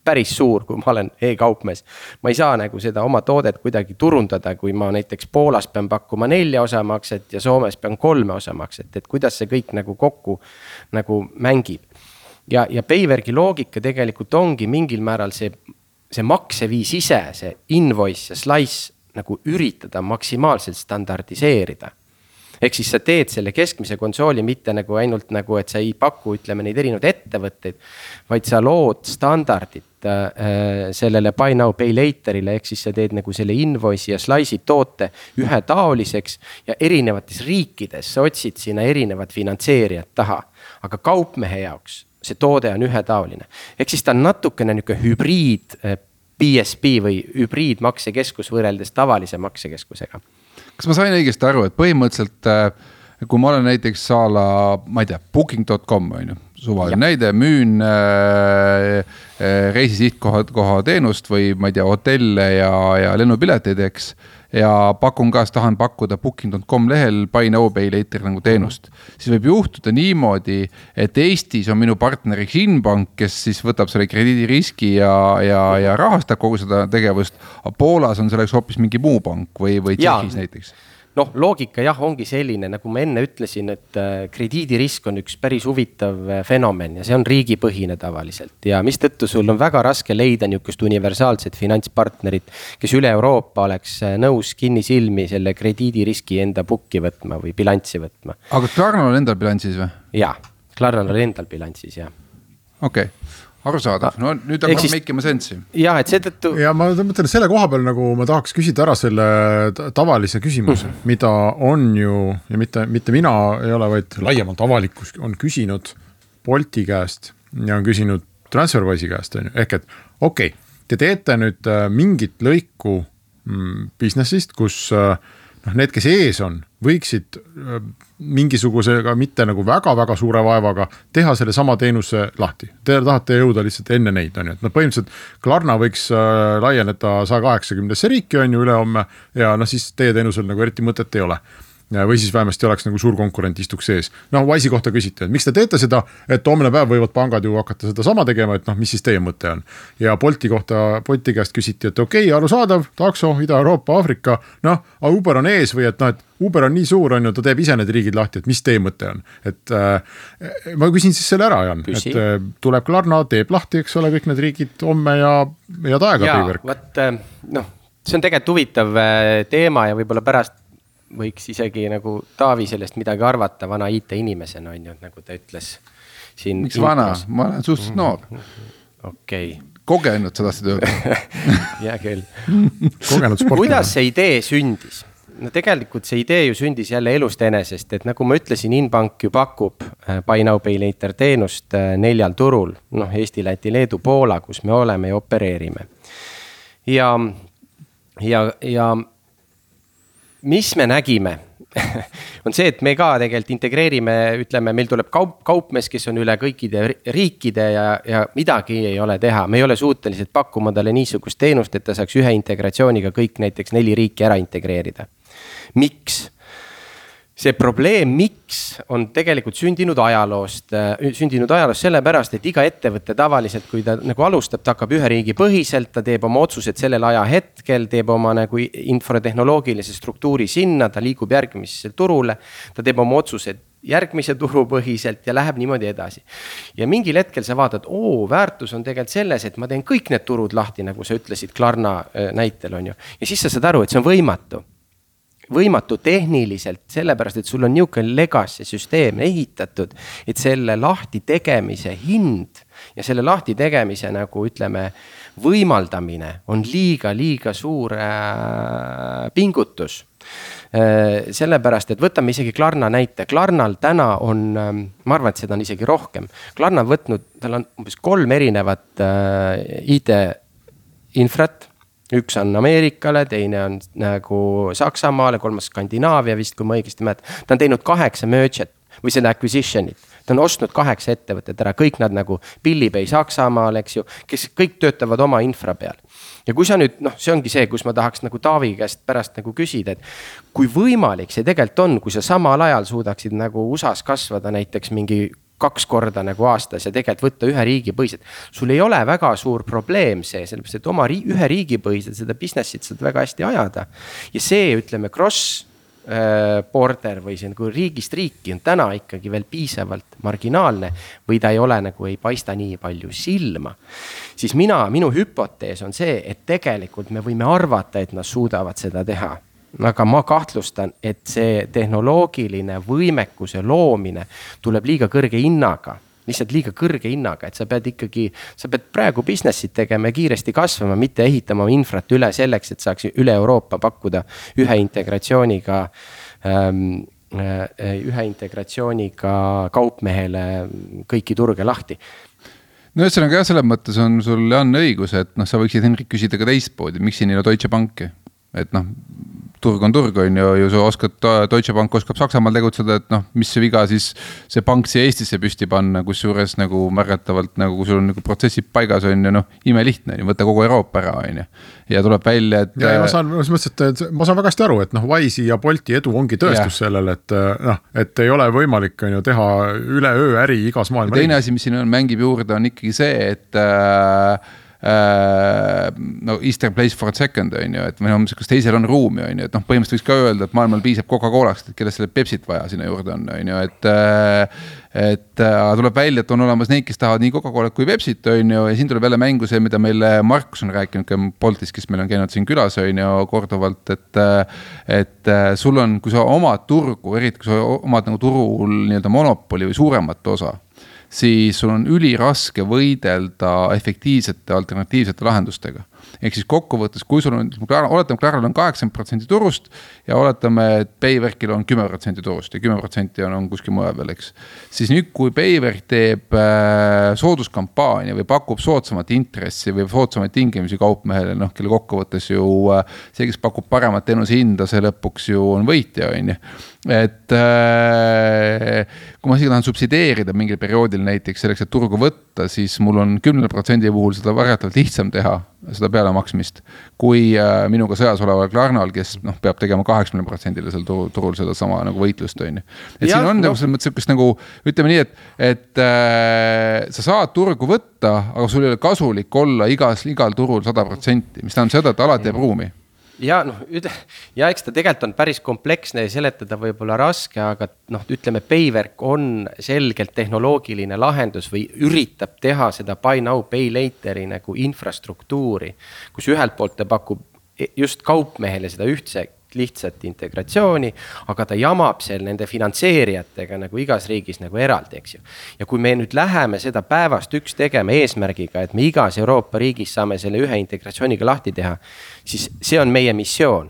päris suur, kui ma olen e-kaupmees. Ma ei saa nagu seda oma toodet kuidagi turundada, kui ma näiteks Poolas pean pakkuma nelja osamakset ja Soomes pean kolme osamakset, et kuidas see kõik nagu kokku nagu mängib. Ja, ja Payverki loogika tegelikult ongi mingil määral see, see makseviis ise, see invoice ja slice nagu üritada maksimaalselt standardiseerida. Ehk siis sa teed selle keskmise konsooli mitte nagu ainult nagu, et sa ei paku, ütleme, neid erinevad ettevõtteid, vaid sa lood standardit äh, sellele Buy Now Pay Laterile, ehk siis sa teed nagu selle invoice ja slice'i toote ühetaoliseks ja erinevates riikides sa otsid sinna erinevad finantseerijad taha, aga kaupmehe jaoks see toode on ühetaoline. Ehk siis ta on natukene niuke hübriid B S P või hübriid maksekeskus võrreldes tavalise maksekeskusega. Kas ma sain õigesti aru, et põhimõtteliselt, kui ma olen näiteks saala, ma ei tea, booking dot com, on ju, suvaline näide, müün äh, reisisihtkoha koha teenust või ma ei tea, hotelle ja, ja lennupileteid, eks, ja pakun ka, tahan pakkuda booking dot com lehel Buy Now Pay Later nagu teenust, siis võib juhtuda niimoodi, et Eestis on minu partneriks Inbank, kes siis võtab selle krediidiriski ja, ja, ja rahastab kogu seda tegevust, aga Poolas on selleks hoopis mingi muu pank või, või Tšehhis näiteks. Noh, loogika jah, ongi selline, nagu ma enne ütlesin, et krediidirisk on üks päris huvitav fenomen ja see on riigipõhine tavaliselt ja mis tõttu sul on väga raske leida niisugust universaalset finantspartnerit, kes üle Euroopa oleks nõus kinnisilmi selle krediidiriski enda bukki võtma või bilanssi võtma. Aga Klarnal on endal bilanssis või? Jaa, Klarnal on endal bilanssis, jah. Okei. Okay. Arusaadav, no nüüd on siis... meikima sensi. Jah, et see tõttu... Ja ma mõtlen, selle koha peal nagu ma tahaks küsida ära selle tavalise küsimuse, mm. mida on ju, ja mitte, mitte mina ei ole, vaid laiemalt avalikkus on küsinud Bolti käest ja on küsinud Transferwise'i käest. Ehk et okei, okay, te teete nüüd mingit lõiku businessist, kus noh, need, kes ees on, võiksid mingisugusega mitte nagu väga-väga suure vaevaga teha selle sama teenuse lahti. Te tahate jõuda lihtsalt enne neid, on ju, et no põhimõtteliselt Klarna võiks laieneda sada kaheksakümnesse riiki, on ju, üle homme ja noh, siis teie teenusel nagu eriti mõtet ei ole. Või siis vähemasti oleks nagu suur konkurent istuks sees. Noh, Wise'i kohta küsite, et miks te teete seda, et homne päev võivad pangad ju hakata seda sama tegema, et noh, mis siis teie mõte on. Ja Bolti kohta, Bolti käest küsiti, et okei, okay, arusaadav, takso, Ida-Euroopa, Afrika, noh, Uber on ees või et noh, et Uber on nii suur, on ju, ta teeb ise need riigid lahti, et mis teie mõte on. Et äh, ma küsin siis selle ära, Jan, Küsi. et äh, tuleb Klarna, teeb lahti, eks ole, kõik need riigid homme ja, ja taega ja, Paywork. Võt, noh, see on tegelikult huvitav teema ja võib-olla pärast võiks isegi nagu Taavi sellest midagi arvata vana I T inimesena, on ju, nagu ta ütles siin. Miks vana? Ma olen suhteliselt noor. Okei. Kogenud seda tööd. Hea küll. Kogenud sportlane. Kuidas see idee sündis? No tegelikult see idee ju sündis jälle elust enesest, et nagu ma ütlesin, Inbank ju pakub Buy Now Pay Later teenust neljal turul, noh, Eesti, Läti, Leedu, Poola, kus me oleme ja opereerime. Ja, ja, ja mis me nägime, on see, et me ka tegelikult integreerime, ütleme, meil tuleb kaup, kaupmees, kes on üle kõikide riikide ja, ja midagi ei ole teha. Me ei ole suutelised pakkuma talle niisugust teenust, et ta saaks ühe integratsiooniga kõik näiteks neli riiki ära integreerida. Miks? See probleem, miks on tegelikult sündinud ajaloost, sündinud ajaloost sellepärast, et iga ettevõtte tavaliselt, kui ta nagu alustab, ta hakkab ühe riigi põhiselt, ta teeb oma otsused sellel aja hetkel, teeb oma nagu infotehnoloogilise struktuuri sinna, ta liigub järgmisesse turule, ta teeb oma otsused järgmise turu põhiselt ja läheb niimoodi edasi. Ja mingil hetkel sa vaatad, oo, väärtus on tegelikult selles, et ma teen kõik need turud lahti, nagu sa ütlesid Klarna näitel, on ju. Ja siis sa saad aru, et see on võimatu. Võimatu tehniliselt, sellepärast, et sul on niisugune legacy süsteem ehitatud, et selle lahti tegemise hind ja selle lahti tegemise nagu ütleme võimaldamine on liiga, liiga suur äh, pingutus. Äh, sellepärast, et võtame isegi Klarna näite. Klarnal täna on, äh, ma arvan, et seda on isegi rohkem. Klarna on võtnud, tal on umbes kolm erinevat äh, I T-infrat. Üks on Ameerikale, teine on nagu Saksamaale, kolmas Skandinaavia vist, kui ma õigesti mäletan. Ta on teinud kaheksa merget või seda acquisitionit. Ta on ostnud kaheksa ettevõtet ära, kõik nad nagu Pillipay Saksamaal, eks ju, kes kõik töötavad oma infra peal. Ja kui sa nüüd, noh, see ongi see, kus ma tahaks nagu Taavi käest pärast nagu küsida, et kui võimalik see tegelikult on, kui sa samal ajal suudaksid nagu U S A-s kasvada näiteks mingi kaks korda nagu aastas ja tegelikult võtta ühe riigi põhiselt. Sul ei ole väga suur probleem see, sellepärast, et oma ri- ühe riigi põhiselt seda businessit saad väga hästi ajada. Ja see, ütleme, cross border või see nagu riigist riiki on täna ikkagi veel piisavalt marginaalne või ta ei ole nagu ei paista nii palju silma. Siis mina, minu hüpotees on see, et tegelikult me võime arvata, et nad suudavad seda teha. Aga ma kahtlustan, et see tehnoloogiline võimekuse loomine tuleb liiga kõrge hinnaga, lihtsalt liiga kõrge hinnaga, et sa pead ikkagi, sa pead praegu businessit tegema ja kiiresti kasvama, mitte ehitama infrat üle selleks, et saaks üle Euroopa pakkuda ühe integratsiooniga, ühe integratsiooniga kaupmehele kõiki turge lahti. No ühesõnaga jah, selles mõttes on sul Jan õigus, et noh, sa võiksid Henrik küsida ka teistpoodi, miks siin ei ole Deutsche Banki, et noh, turg on turg on ju, ju sa oskad, Deutsche Bank oskab Saksamaal tegutseda, et noh, mis see viga siis see pank siia Eestisse püsti panna, kus juures nagu märgatavalt, nagu kui sul on nagu protsessid paigas on ju, noh, ime lihtne, võtta kogu Euroopa ära on ju. Ja tuleb välja, et... Ja, ja ma saan, mõtlesin, ma saan väga hästi aru, et noh, Wise'i ja Bolti edu ongi tõestus ja. Sellel, et noh, et ei ole võimalik on ju teha üle öö äri igas maailma. Teine asi, mis siin on, mängib juurde, on ikkagi see, et äh, no Eastern place for a second on ju, et või no, kas teisel on ruumi on ju, et noh, põhimõtteliselt võiks ka öelda, et maailmal piisab Coca-Colast, et kelle selle Pepsit vaja sinna juurde on, on ju, et et tuleb välja, et on olemas neid, kes tahavad nii Coca-Colat kui Pepsit on ju, ja siin tuleb jälle mängu see, mida meile Markus on rääkinud ka Boltis, kes meil on käinud siin külas on ju korduvalt, et et sul on, kui sa omad turgu, eriti kui sa omad nagu turul nii-öelda monopoli või suuremat osa, siis sul on üliraske võidelda efektiivsete alternatiivsete lahendustega. Ehk siis kokkuvõttes, kui sul on, oletame, Klarnal on kaheksakümmend protsenti turust ja oletame, et Payverkil on kümme protsenti turust ja kümme protsenti on, on kuskil mujal veel, eks. Siis nüüd, kui Payverk teeb äh, sooduskampaania või pakub soodsamat intressi või soodsamaid tingimusi kaupmehele, noh, kelle kokkuvõttes ju äh, see, kes pakub paremat teenuse hinda, see lõpuks ju on võitja, on ju. Et äh, kui ma siin tahan subsideerida mingil perioodil näiteks selleks, et turgu võtta, siis mul on kümne protsendi puhul seda varjatavalt lihtsam teha, seda pealemaksmist, kui äh, minuga sõjas oleval Klarnal, kes noh, peab tegema kaheksakümmend protsenti seal turul, turul seda sama nagu võitlust, on ju. Et ja, siin on no. selles mõttes sükest nagu, ütleme nii, et, et äh, sa saad turgu võtta, aga sul ei ole kasulik olla igas, igal turul sada protsenti, mis tähendab seda, et alati jääb ruumi. Ja, noh, ja eks ta tegelikult on päris kompleksne ja seletada võib-olla raske, aga noh, ütleme, Payverk on selgelt tehnoloogiline lahendus või üritab teha seda buy now, pay later'i nagu infrastruktuuri, kus ühelt poolt ta pakub just kaupmehele seda ühtse lihtsat integratsiooni, aga ta jamab seal nende finantseerijatega nagu igas riigis nagu eraldi, eks ju. Ja kui me nüüd läheme seda päevast üks tegema eesmärgiga, et me igas Euroopa riigis saame selle ühe integratsiooniga lahti teha, siis see on meie missioon.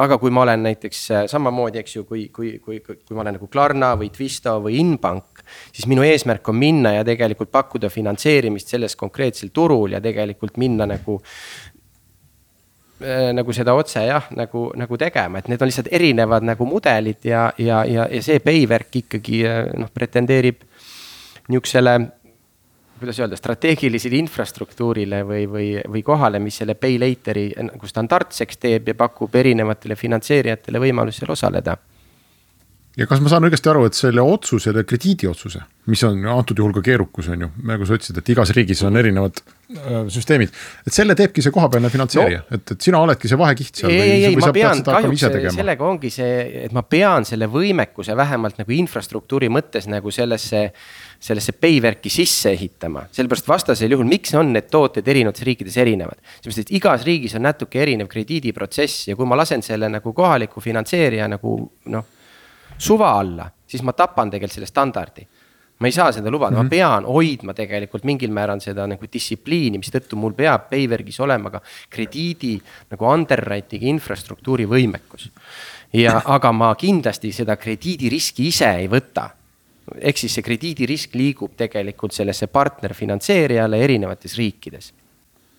Aga kui ma olen näiteks samamoodi, eks ju, kui, kui, kui, kui ma olen nagu Klarna või Twisto või Inbank, siis minu eesmärk on minna ja tegelikult pakkuda finantseerimist selles konkreetsel turul ja tegelikult minna nagu nagu seda otse jah, nagu, nagu tegema, et need on lihtsalt erinevad nagu mudelid ja, ja, ja, ja see Payverk ikkagi noh, pretendeerib niuksele, kuidas öelda, strateegilisele infrastruktuurile või, või, või kohale, mis selle pay later'i nagu standardseks teeb ja pakub erinevatele finantseerijatele võimalus seal osaleda. Ja kas ma saan õigesti aru, et selle otsuse, selle krediidiotsuse, mis on antud juhul ka keerukus, on ju, nagu sa ütlesid, et igas riigis on erinevad äh, süsteemid, et selle teebki see kohapealne finantseerija, no, et, et sina oledki see vahekiht seal ei, või, ei, või ma sa pean, pead seda hakkama ise tegema? Sellega ongi see, et ma pean selle võimekuse vähemalt nagu infrastruktuuri mõttes nagu sellesse, sellesse Payverki sisse ehitama. Sellepärast vastasel juhul, miks on need tooted erinevates riikides erinevad? Sellepärast, et igas riigis on natuke erinev krediidiprotsess ja kui ma lasen selle nagu kohaliku finantseerija nagu noh, suva alla, siis ma tapan tegelikult selle standardi. Ma ei saa seda lubada, mm-hmm. ma pean hoidma tegelikult mingil määran seda nagu distsipliini, mis tõttu mul peab Payverkis olema ka krediidi nagu underwriting infrastruktuuri võimekus. Ja, aga ma kindlasti seda krediidiriski ise ei võta. Ehk siis see krediidirisk liigub tegelikult sellesse partnerfinantseerijale erinevates riikides.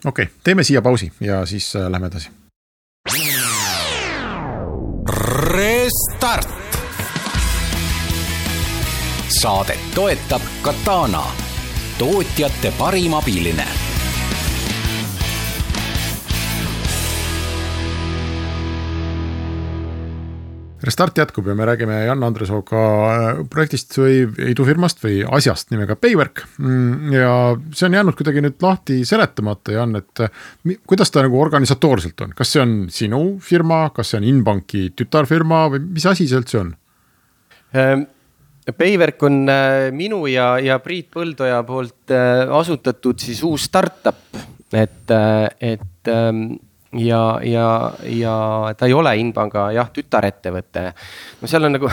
Okei, okay, teeme siia pausi ja siis äh, lähme edasi. Restart! Saadet toetab Katana, tootjate parim abiline. Restart jätkub ja me räägime Jan Andresooga projektist või idufirmast või asjast nimega Payverk. Ja see on jäänud kuidagi nüüd lahti seletamata, Jan, et kuidas ta nagu organisatoorselt on? Kas see on sinu firma, kas see on Inbanki tütarfirma või mis asi see üldse on? Ähm. Payverk on minu ja, ja Priit Põldoja poolt asutatud siis uus startup, et, et ja, ja, ja ta ei ole Inbanga jah, tütarettevõte. No seal on nagu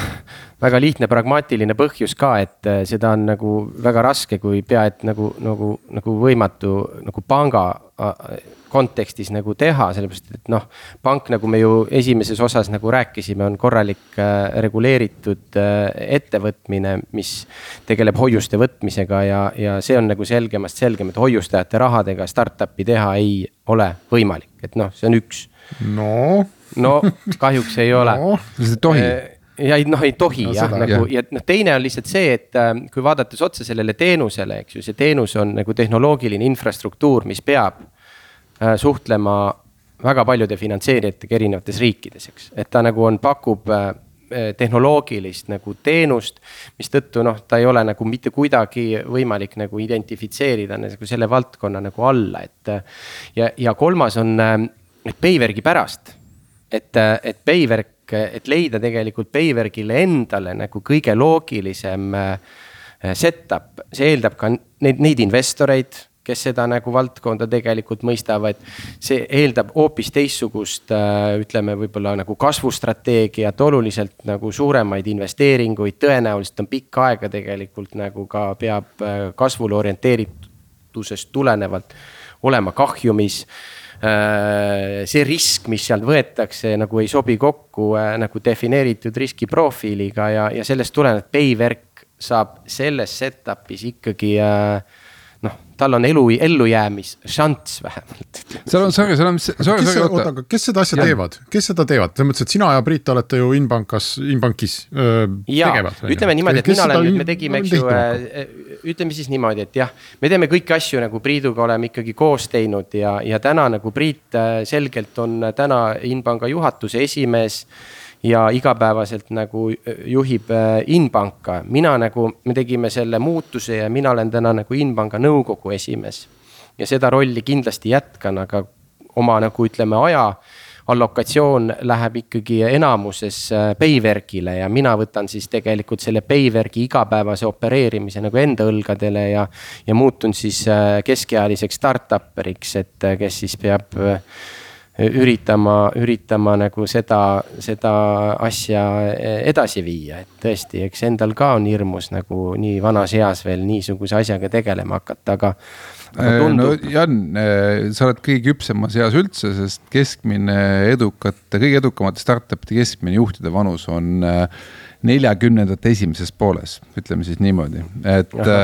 väga lihtne pragmaatiline põhjus ka, et seda on nagu väga raske, kui pea, et nagu, nagu, nagu võimatu nagu panga kontekstis nagu teha, sellepärast, et noh, pank, nagu me ju esimeses osas nagu rääkisime, on korralik reguleeritud ettevõtmine, mis tegeleb hoiuste võtmisega ja, ja see on nagu selgemast selgem, et hoiustajate rahadega startupi teha ei ole võimalik, et noh, see on üks. No, no kahjuks ei ole. No, see tohi. Ja noh, ei tohi no, jah, nagu, ja noh, teine on lihtsalt see, et kui vaadates otsa sellele teenusele, eks ju, see teenus on nagu tehnoloogiline infrastruktuur, mis peab äh, suhtlema väga paljude finantseerijatega erinevates riikides, eks. Et ta nagu on, pakub äh, tehnoloogilist nagu teenust, mis tõttu noh, ta ei ole nagu mitte kuidagi võimalik nagu identifitseerida nagu selle valdkonna nagu alla, et ja, ja kolmas on et Payverki pärast, et, et Payverk et leida tegelikult Payverkile endale nagu kõige loogilisem setup. See eeldab ka neid, neid investoreid, kes seda nagu valdkonda tegelikult mõistavad. See eeldab hoopis teissugust, ütleme võib-olla nagu kasvustrateegiat, oluliselt nagu suuremaid investeeringuid, tõenäoliselt on pikk aega tegelikult nagu ka peab kasvule orienteeritusest tulenevalt olema kahjumis. See risk, mis sealt võetakse, nagu ei sobi kokku nagu defineeritud riskiprofiiliga ja, ja sellest tuleneb, et Payverk saab selles setupis ikkagi noh, tal on elu, ellujäämis šants vähemalt. Seal on, sorry, seal on, sorry, kes, sorry, oota, kes seda asja ja. teevad? Kes seda teevad? Selles mõttes, et sina ja Priit olete ju Inbankas, Inbankis öö, ja, tegevad. Ütleme niimoodi, et mina olen, me tegime, eks ju, ütleme siis niimoodi, et jah, me teeme kõiki asju nagu Priiduga oleme ikkagi koos teinud ja, ja täna nagu Priit selgelt on täna Inbanga juhatuse esimees ja igapäevaselt nagu juhib Inbanka. Mina nagu, me tegime selle muutuse ja mina olen täna nagu Inbanga nõukogu esimees. Ja seda rolli kindlasti jätkan, aga oma nagu ütleme aja allokatsioon läheb ikkagi enamuses Payverkile ja mina võtan siis tegelikult selle Payverki igapäevase opereerimise nagu enda õlgadele ja, ja muutun siis keskealiseks startupperiks, et kes siis peab üritama, üritama nagu seda, seda asja edasi viia, et tõesti, eks endal ka on hirmus nagu nii vanas eas veel niisuguse asjaga tegelema hakata, aga, aga tundub... no Jan, sa oled kõige küpsemas eas üldse, sest keskmine edukate, kõige edukamate startupide keskmine juhtide vanus on neljakümnendate esimeses pooles, ütleme siis niimoodi, et Aha,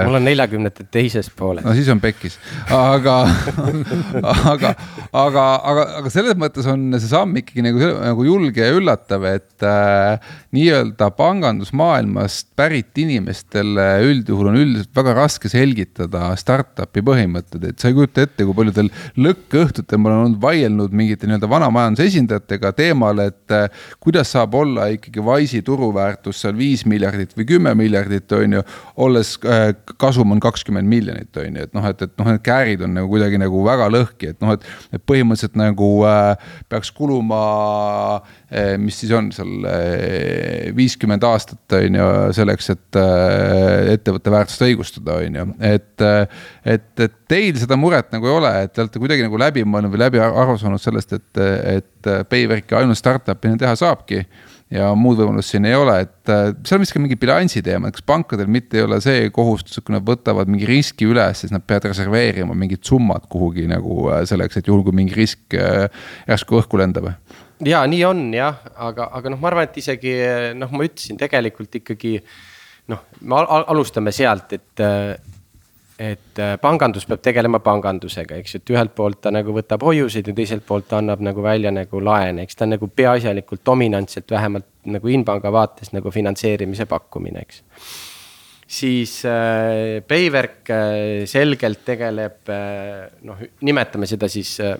mul on neljakümnendate teises pooles. No siis on pekkis, aga aga, aga, aga, aga selles mõttes on see samm ikkagi nagu, nagu julge ja üllatav, et äh, nii-öelda pangandusmaailmast pärit inimestele üldjuhul on üldiselt väga raske selgitada startupi põhimõtted, et sa ei kujuta ette, kui paljudel lõkkõhtutel ma olen vaielnud mingite nii-öelda vana majanduse esindajatega teemal, et äh, kuidas saab olla ikkagi Wise'i turu väärtus seal viis miljardit või kümme miljardit on ju, olles äh, kasum on kakskümmend miljonit on ju, et noh, et, et noh, need käärid on nagu kuidagi nagu väga lõhki, et noh, et, et põhimõtteliselt nagu äh, peaks kuluma äh, mis siis on seal äh, viiskümmend aastat on ju selleks, et äh, ettevõtte väärtust õigustada on ju, et, äh, et, et teil seda muret nagu ei ole, et te olete kuidagi nagu läbi mõelnud või läbi aru saanud sellest, et, et Payverki ainult startupina teha saabki ja muud võimalust siin ei ole, et seal on vist ka mingi bilansi teema, kas pankadel mitte ei ole see kohustus, kui nad võtavad mingi riski üles, siis nad peavad reserveerima mingid summad kuhugi nagu selleks, et juhul kui mingi risk järsku õhku lendab. Ja nii on jah, aga, aga noh, ma arvan, et isegi noh, ma ütlesin tegelikult ikkagi noh, me alustame sealt, et et pangandus peab tegelema pangandusega, eks, et ühelt poolt ta nagu võtab hoiusid ja teiselt poolt ta annab nagu välja nagu laene, eks ta nagu peaasjalikult dominantselt vähemalt nagu Inbanga vaates nagu finantseerimise pakkumine, eks. Siis äh, Payverk äh, selgelt tegeleb, äh, noh, nimetame seda siis äh,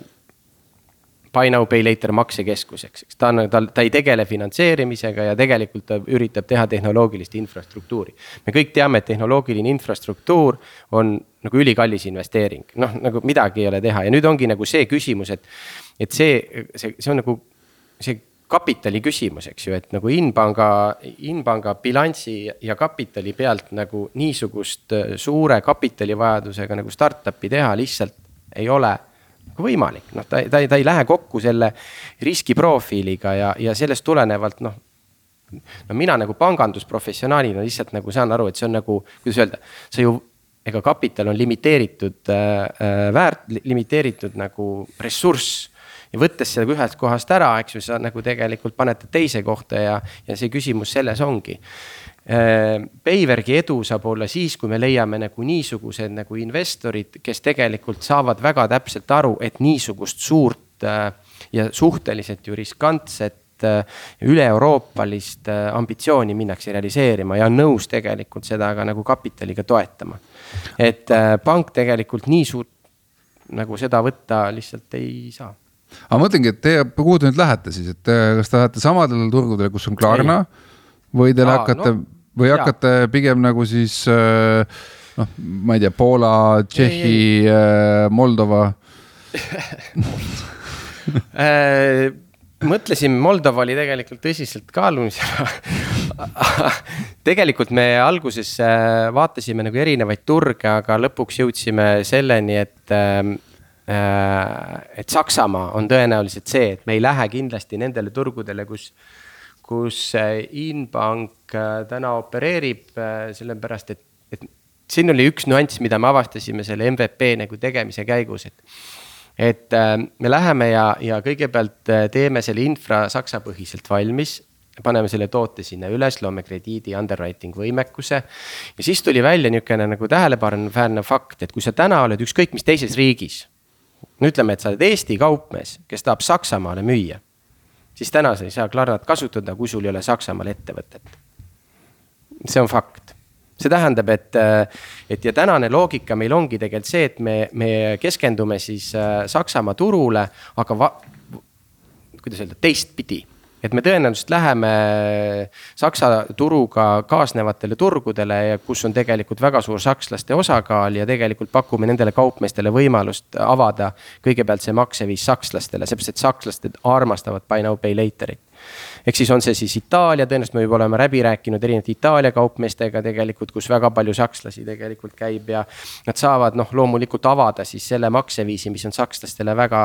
Buy Now Pay Later maksekeskuseks, eks ta, on, ta, ta ei tegele finantseerimisega ja tegelikult ta üritab teha tehnoloogilist infrastruktuuri. Me kõik teame, et tehnoloogiline infrastruktuur on nagu ülikallis investeering, noh nagu midagi ei ole teha ja nüüd ongi nagu see küsimus, et, et see, see, see on nagu see kapitali küsimus, eks ju, et nagu Inbanga, Inbanga bilansi ja kapitali pealt nagu niisugust suure kapitalivajadusega nagu startupi teha lihtsalt ei ole võimalik, noh, ta, ta, ta ei lähe kokku selle riskiprofiiliga ja, ja sellest tulenevalt, noh, no mina nagu pangandusprofessionaalina lihtsalt nagu saan aru, et see on nagu, kuidas öelda, see ju, ega kapital on limiteeritud äh, väärt, limiteeritud nagu ressurss ja võttes seda ühest kohast ära, eks ju, sa nagu tegelikult panete teise kohta ja, ja see küsimus selles ongi. Payverki edu saab olla siis, kui me leiame nagu niisugused nagu investorid, kes tegelikult saavad väga täpselt aru, et niisugust suurt ja suhteliselt ju riskantset üle-euroopalist ambitsiooni minnakse realiseerima ja on nõus tegelikult seda ka nagu kapitaliga toetama. Et pank tegelikult nii suurt nagu seda võtta lihtsalt ei saa. Aga mõtlengi, et te, kuhu te nüüd lähete siis, et kas te lähete samadele turgudele, kus on Klarna ei. Või teil hakkate, no, või hakkate jaa. Pigem nagu siis, noh, ma ei tea, Poola, Tšehhi, Moldova? Mõtlesin, Moldova oli tegelikult tõsiselt kaalumisena. Tegelikult me alguses vaatasime nagu erinevaid turge, aga lõpuks jõudsime selleni, et, et Saksamaa on tõenäoliselt see, et me ei lähe kindlasti nendele turgudele, kus kus Inbank täna opereerib, sellepärast, et, et siin oli üks nüanss, mida me avastasime selle M V P nagu tegemise käigus, et et me läheme ja, ja kõigepealt teeme selle infra saksa põhiselt valmis, paneme selle toote sinna üles, loome krediidi underwriting võimekuse ja siis tuli välja niisugune nagu tähelepaneväärne fakt, et kui sa täna oled ükskõik mis teises riigis, no ütleme, et sa oled Eesti kaupmees, kes tahab Saksamaale müüa, siis täna sa ei saa Klarnat kasutada, kui sul ei ole Saksamaal ettevõtet. See on fakt. See tähendab, et, et ja tänane loogika meil ongi tegelikult see, et me, me keskendume siis Saksamaa turule, aga va, kuidas öelda, teist pidi. Et me tõenäoliselt läheme Saksa turuga kaasnevatele turgudele, kus on tegelikult väga suur sakslaste osakaal ja tegelikult pakume nendele kaupmeestele võimalust avada kõigepealt see makseviis sakslastele, seepärast et sakslased armastavad buy now pay laterit. Ehk siis on see siis Itaalia, tõenäoliselt me juba oleme läbi rääkinud erinevate Itaalia kaupmeestega tegelikult, kus väga palju sakslasi tegelikult käib ja nad saavad noh, loomulikult avada siis selle makseviisi, mis on sakslastele väga,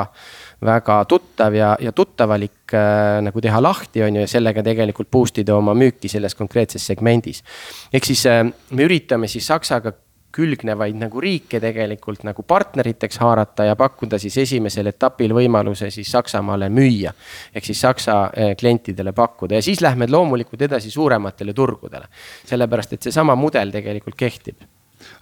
väga tuttav ja, ja tuttavalik äh, nagu teha lahti on ju ja sellega tegelikult boostida oma müüki selles konkreetses segmendis. Ehk siis äh, me üritame siis Saksaga külgnevaid nagu riike tegelikult nagu partneriteks haarata ja pakkuda siis esimesel etapil võimaluse siis Saksamaale müüa. Ehk siis Saksa klientidele pakkuda ja siis lähme loomulikult edasi suurematele turgudele. Sellepärast, et see sama mudel tegelikult kehtib.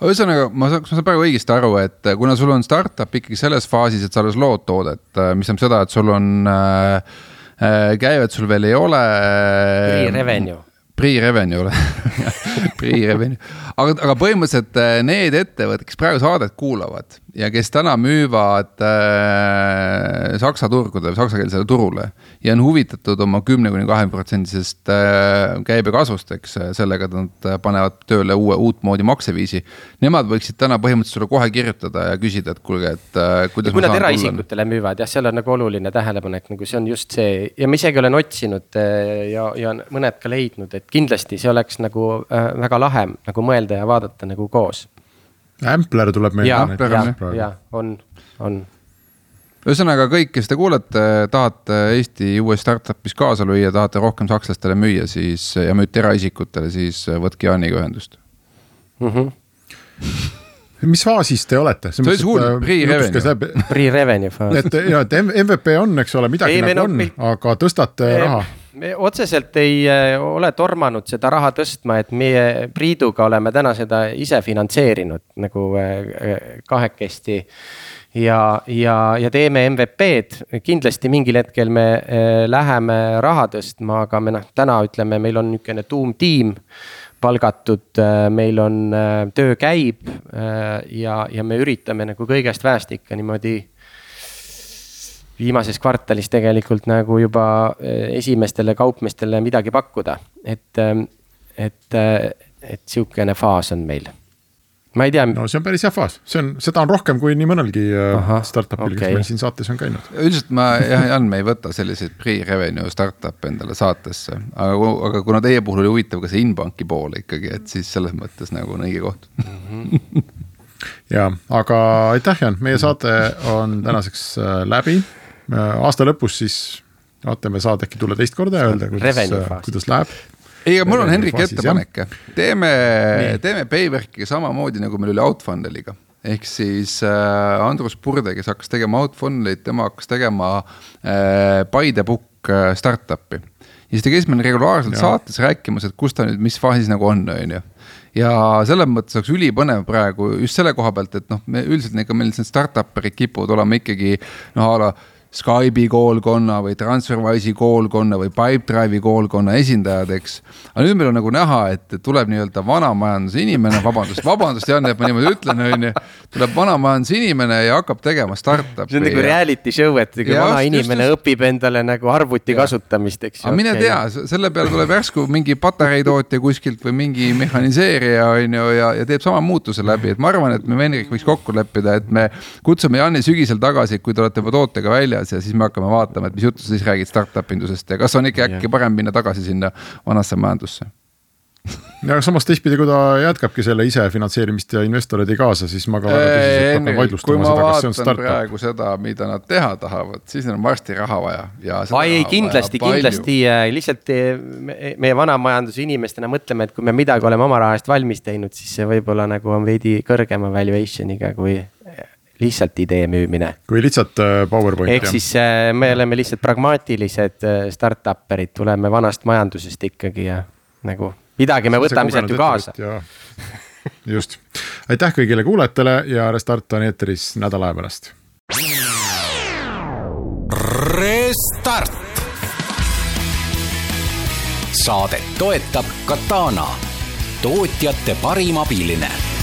Ühesõnaga, ma saan, ma saan praegu õigesti aru, et kuna sul on startup ikkagi selles faasis, et sa alles lood toodet, mis on seda, et sul on äh, käivet sul veel ei ole. Pre-revenue. Pre-revenue, pre-revenue. Aga, aga põhimõtteliselt need ettevõtted, kes praegu saadet kuulavad ja kes täna müüvad äh, Saksa turgudele või saksakeelsele turule ja on huvitatud oma kümne kuni kahekümne protsendisest äh, käibe kasvust, eks, sellega nad panevad tööle uue uut moodi makseviisi. Nemad võiksid täna põhimõtteliselt sulle kohe kirjutada ja küsida, et kuulge, et äh, kuidas ja kui nad eraisikutele müüvad, jah, seal on nagu oluline tähelepanek, nagu see on just see ja ma isegi olen otsinud ja, ja mõned ka leidnud, et kindlasti see oleks nagu äh, väga lahe nagu mõelda ja vaadata nagu koos. Ampler tuleb meil. Ja, ja, ja, on, on. Ühesõnaga kõik, kes te kuulete, tahate Eesti uues startupis kaasa lüüa, tahate rohkem sakslastele müüa siis, ja müüte eraisikutele, siis võtke Jaaniga ühendust. Mhm. Mis faasis te olete? See oli suur pre-revenue. Pre-revenue faas. Et, ja, et M V P on, eks ole, midagi ei, nagu on, meil... aga tõstate e raha. Me otseselt ei ole tormanud seda raha tõstma, et meie Priiduga oleme täna seda ise finantseerinud nagu kahekesti ja, ja, ja teeme M V P-d. Kindlasti mingil hetkel me läheme raha tõstma, aga me noh, täna ütleme, meil on niisugune tuumtiim palgatud, meil on töö käib ja, ja me üritame nagu kõigest väest ikka niimoodi viimases kvartalis tegelikult nagu juba esimestele kaupmestele midagi pakkuda. Et, et, et siukene faas on meil. Ma ei tea. No see on päris hea faas. See on, seda on rohkem kui nii mõnelgi Aha, startupil, okay. Kes meil siin saates on käinud. Üldiselt ma, jah, Jan, me ei võta selliseid pre-revenue startup endale saatesse. Aga, aga kuna teie puhul oli huvitav ka see Inbanki pool ikkagi, et siis selles mõttes nagu on õige koht. Ja, aga aitäh, Jan. Meie saate on tänaseks läbi. Aasta lõpus siis vaatame saad äkki tulla teist korda ja öelda, kuidas, kuidas läheb. Ei, aga mul on Henrik ettepanek. Teeme, teeme Payverkiga samamoodi, nagu meil oli Outfunneliga. Ehk siis äh, Andrus Purde, kes hakkas tegema Outfunnelit, tema hakkas tegema äh, By the Book äh, startupi. Ja siis ta käis meil regulaarselt ja. Saates rääkimas, et kus ta nüüd, mis faasis nagu on, on ju. Ja selles mõttes oleks ülipõnev praegu just selle koha pealt, et noh, me üldiselt need, meil startuperid kipuvad olema ikkagi noh, ala Skype'i koolkonna või Transferwise'i koolkonna või Pipedrive'i koolkonna esindajad, eks. Aga nüüd meil on nagu näha, et tuleb nii-öelda vanamajanduse inimene, vabandust, vabandust, Jan, et ma niimoodi ütlen, on ju, tuleb vanamajanduse inimene ja hakkab tegema startupi. See on nagu reality show, et ja, vana just, inimene just, õpib endale nagu arvuti ja. Kasutamist, eks. Aga mine okay. tea, selle peale tuleb järsku mingi patareitootja kuskilt või mingi mehaniseerija, on ju, ja, ja teeb sama muutuse läbi. Et ma arvan, et me Henrik võiks kokku leppida, et me kutsume Jani sügisel tagasi, kui te olete juba tootega väljas ja siis me hakkame vaatama, et mis juttu siis räägid startup indusest ja kas on ikka äkki parem minna tagasi sinna vanasse majandusse? ja samas teistpidi, kui ta jätkabki selle ise finantseerimist ja investorid ei kaasa, siis ma ka väga tõsiselt hakkan vaidlustama seda, kas see on startup. Praegu seda, mida nad teha tahavad, siis neil on varsti raha vaja. Ai, ei, kindlasti, kindlasti lihtsalt meie vanamajanduse inimestena mõtleme, et kui me midagi oleme oma rahast valmis teinud, siis see võib-olla nagu on veidi kõrgema valuationiga kui lihtsalt idee müümine. Kui lihtsalt PowerPoint. Ehk siis me oleme lihtsalt pragmaatilised start-upperid, tuleme vanast majandusest ikkagi ja nagu midagi me võtame sealt ju kaasa. Ja, just. Aitäh kõigile kuulajatele ja Restart on eeteris nädala aja pärast. Restart. Saadet toetab Katana, tootjate parim abiline.